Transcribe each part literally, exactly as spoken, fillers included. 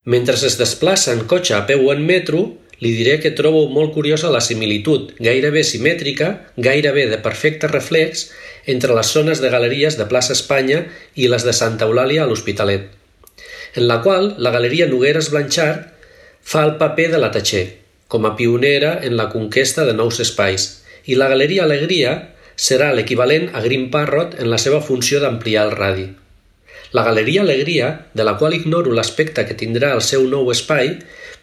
Mentre es desplaça en cotxe, a peu o en metro, li diré que trobo molt curiosa la similitud, gairebé simètrica, gairebé de perfecte reflex, entre les zones de galeries de plaça Espanya i les de Santa Eulàlia a l'Hospitalet, en la qual la galeria Nogueres Blanchard fa el paper de la Tatxer, com a pionera en la conquesta de nous espais, i la galeria Alegria serà l'equivalent a Green Parrot en la seva funció d'ampliar el radi. La galeria Alegria, de la qual ignoro l'aspecte que tindrà el seu nou espai,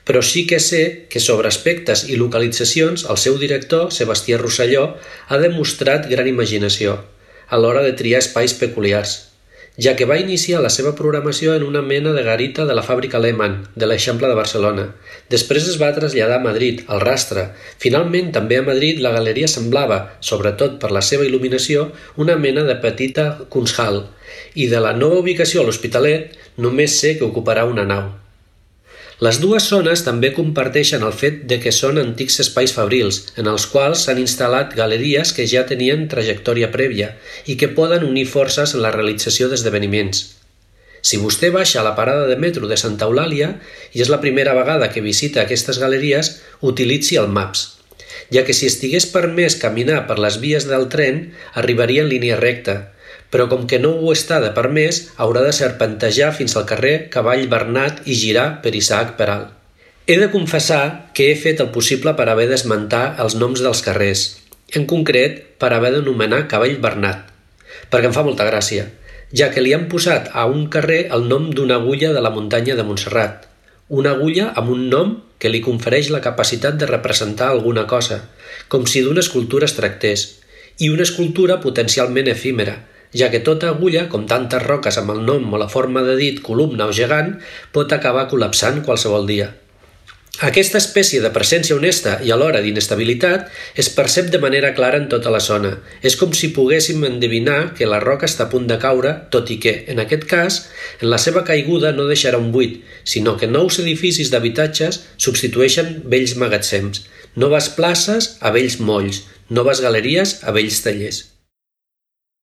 però sí que sé que sobre aspectes i localitzacions el seu director, Sebastià Rosselló, ha demostrat gran imaginació a l'hora de triar espais peculiars, ja que va iniciar la seva programació en una mena de garita de la fàbrica Lehmann, de l'Eixample de Barcelona. Després es va traslladar a Madrid, al Rastre. Finalment, també a Madrid, la galeria semblava, sobretot per la seva il·luminació, una mena de petita Kunsthal, i de la nova ubicació a l'Hospitalet només sé que ocuparà una nau. Les dues zones també comparteixen el fet de que són antics espais fabrils, en els quals s'han instal·lat galeries que ja tenien trajectòria prèvia i que poden unir forces en la realització d'esdeveniments. Si vostè baixa a la parada de metro de Santa Eulàlia i és la primera vegada que visita aquestes galeries, utilitzi el Maps, ja que si estigués permès caminar per les vies del tren, arribaria en línia recta, però com que no ho està de permès, haurà de serpentejar fins al carrer Cavall Bernat i girar per Isaac Peral. He de confessar que he fet el possible per haver d'esmentar els noms dels carrers, en concret per haver d'anomenar Cavall Bernat, perquè em fa molta gràcia, ja que li han posat a un carrer el nom d'una agulla de la muntanya de Montserrat, una agulla amb un nom que li confereix la capacitat de representar alguna cosa, com si d'una escultura es tractés, i una escultura potencialment efímera, ja que tota agulla, com tantes roques amb el nom o la forma de dit columna o gegant, pot acabar col·lapsant qualsevol dia. Aquesta espècie de presència honesta i alhora d'inestabilitat es percep de manera clara en tota la zona. És com si poguéssim endevinar que la roca està a punt de caure, tot i que, en aquest cas, en la seva caiguda no deixarà un buit, sinó que nous edificis d'habitatges substitueixen vells magatzems, noves places a vells molls, noves galeries a vells tallers.